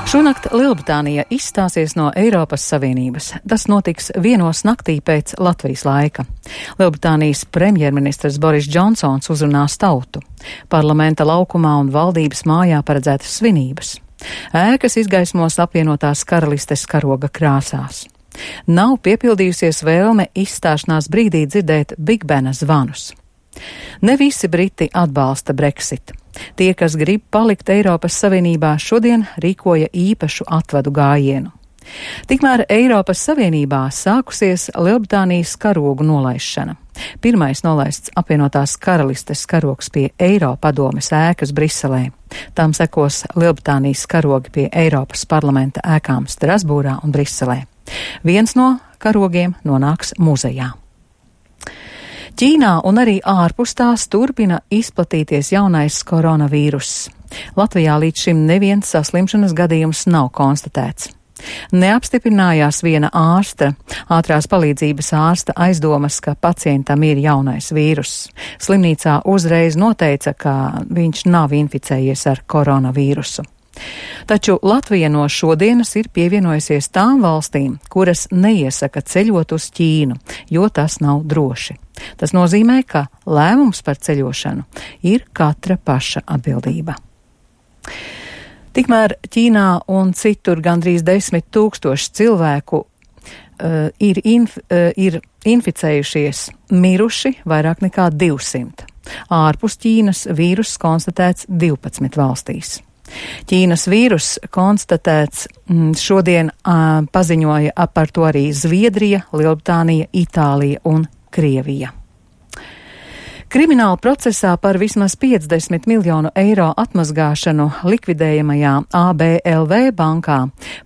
Šonakt Lielbritānija izstāsies no Eiropas Savienības. Tas notiks vienos naktī pēc Latvijas laika. Lielbritānijas premjerministrs Boris Džonsons uzrunās tautu. Parlamenta laukumā un valdības mājā paredzētas svinības. Ēkas izgaismos apvienotās karalistes karoga krāsās. Nav piepildījusies vēlme izstāšanās brīdī dzirdēt Big Bena zvanus. Ne visi briti atbalsta Brexit. Tie, kas grib palikt Eiropas Savienībā, šodien rīkoja īpašu atvadu gājienu. Tikmēr Eiropas Savienībā sākusies Lielbritānijas karogu nolaišana. Pirmais nolaists apvienotās karalistes karogs pie Eiropadomes ēkas Briselē. Tam sekos Lielbritānijas karogi pie Eiropas parlamenta ēkām Strasbūrā un Briselē. Viens no karogiem nonāks muzejā. Ķīnā un arī ārpus tās turpina izplatīties jaunais koronavīruss. Latvijā līdz šim neviens saslimšanas gadījums nav konstatēts. Neapstiprinājās viena ātrās palīdzības ārsta aizdomas, ka pacientam ir jaunais vīruss. Slimnīcā uzreiz noteica, ka viņš nav inficējies ar koronavīrusu. Taču Latvija no šodienas ir pievienojusies tām valstīm, kuras neiesaka ceļot uz Ķīnu, jo tas nav droši. Tas nozīmē, ka lēmums par ceļošanu ir katra paša atbildība. Tikmēr Ķīnā un citur gandrīz 10 000 cilvēku ir inficējušies, miruši vairāk nekā 200. Ārpus Ķīnas vīruss konstatēts 12 valstīs. Ķīnas vīruss konstatēts šodien paziņoja par to arī Zviedrija, Lielbritānija, Itālija un Krievija. Krimināla procesā par vismaz 50 miljonu eiro atmazgāšanu likvidējamajā ABLV bankā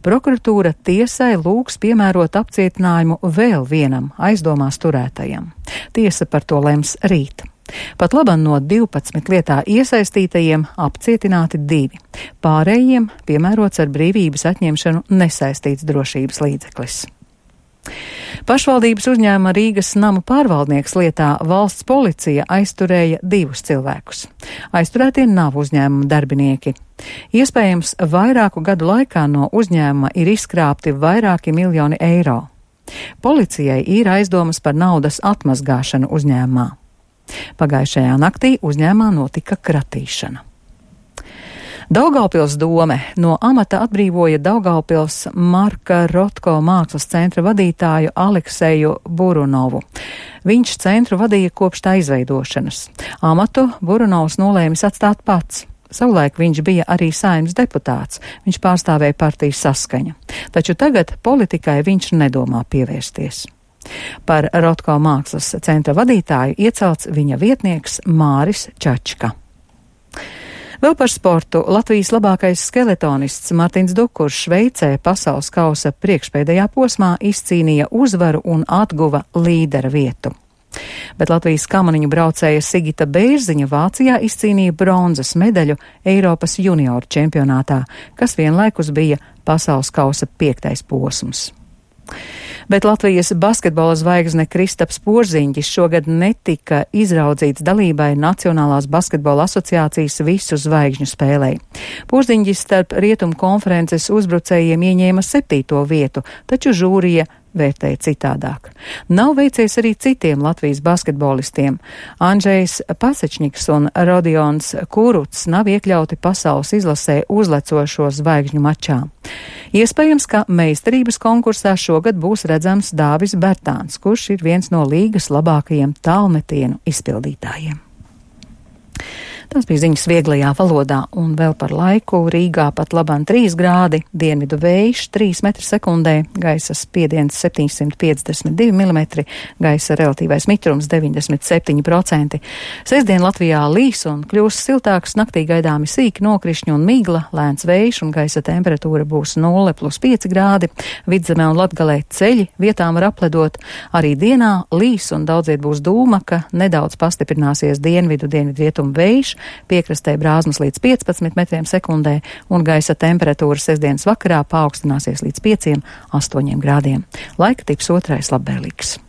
prokuratūra tiesai lūgs piemērot apcietinājumu vēl vienam aizdomās turētajam. Tiesa par to lems rīt. Pat labam no 12 lietā iesaistītajiem apcietināti 2. Pārējiem piemērots ar brīvības atņemšanu nesaistīts drošības līdzeklis. Pašvaldības uzņēmuma Rīgas namu pārvaldnieks lietā valsts policija aizturēja 2 cilvēkus. Aizturētie nav uzņēmuma darbinieki. Iespējams, vairāku gadu laikā no uzņēmuma ir izkrāpti vairāki miljoni eiro. Policijai ir aizdomas par naudas atmazgāšanu uzņēmumā. Pagājušajā naktī uzņēmumā notika kratīšana. Daugavpils dome no amata atbrīvoja Daugavpils Marka Rotko mākslas centra vadītāju Alekseju Burunovu. Viņš centru vadīja kopš tā izveidošanas. Amatu Burunovs nolēmis atstāt pats. Savulaik viņš bija arī Saeimas deputāts. Viņš pārstāvēja partijas Saskaņa. Taču tagad politikai viņš nedomā pievērsties. Par Rotko mākslas centra vadītāju iecelts viņa vietnieks Māris Čačka. Vēl par sportu. Latvijas labākais skeletonists Martins Dukurs Šveicē pasaules kausa priekšpēdējā posmā izcīnīja uzvaru un atguva līdera vietu. Bet Latvijas kamaniņu braucēja Sigita Bērziņa Vācijā izcīnīja bronzas medaļu Eiropas junioru čempionātā, kas vienlaikus bija pasaules kausa 5. posms. Bet Latvijas basketbola zvaigzne Kristaps Porziņģis šogad netika izraudzīts dalībai Nacionālās basketbola asociācijas visu zvaigžņu spēlē. Porziņģis starp Rietumu konferences uzbrucējiem ieņēma 7. vietu, taču žūrija vērtēja citādāk. Nav veicies arī citiem Latvijas basketbolistiem. Andžejs Pasečņiks un Rodions Kuruts nav iekļauti pasaules izlasē uzlecošo zvaigžņu mačā. Iespējams, ka meistarības konkursā šogad būs redzams Dāvis Bertāns, kurš ir viens no līgas labākajiem tālmetienu izpildītājiem. Tas bija ziņas vieglajā valodā, un vēl par laiku. Rīgā pat labam 3 grādi, dienvidu vējš 3 m/sekundē, gaisa spiediens 752 mm, gaisa relatīvais mitrums 97%. Sestdien Latvijā līs un kļūs siltāks, naktī gaidāmi sīki nokrišņi un migla, lēns vējš un gaisa temperatūra būs 0+5 grādi. Vidzemē un Latgalē ceļi vietām var apledot. Arī dienā līs un daudziet būs dūmaka, nedaudz pastiprināsies dienvidu-dienvidrietumu vējš, piekrastē brāzmas līdz 15 m/sekundē un gaisa temperatūra sestdienas vakarā paaugstināsies līdz 5–8 grādiem. Laika tips otrais labvēlīgs.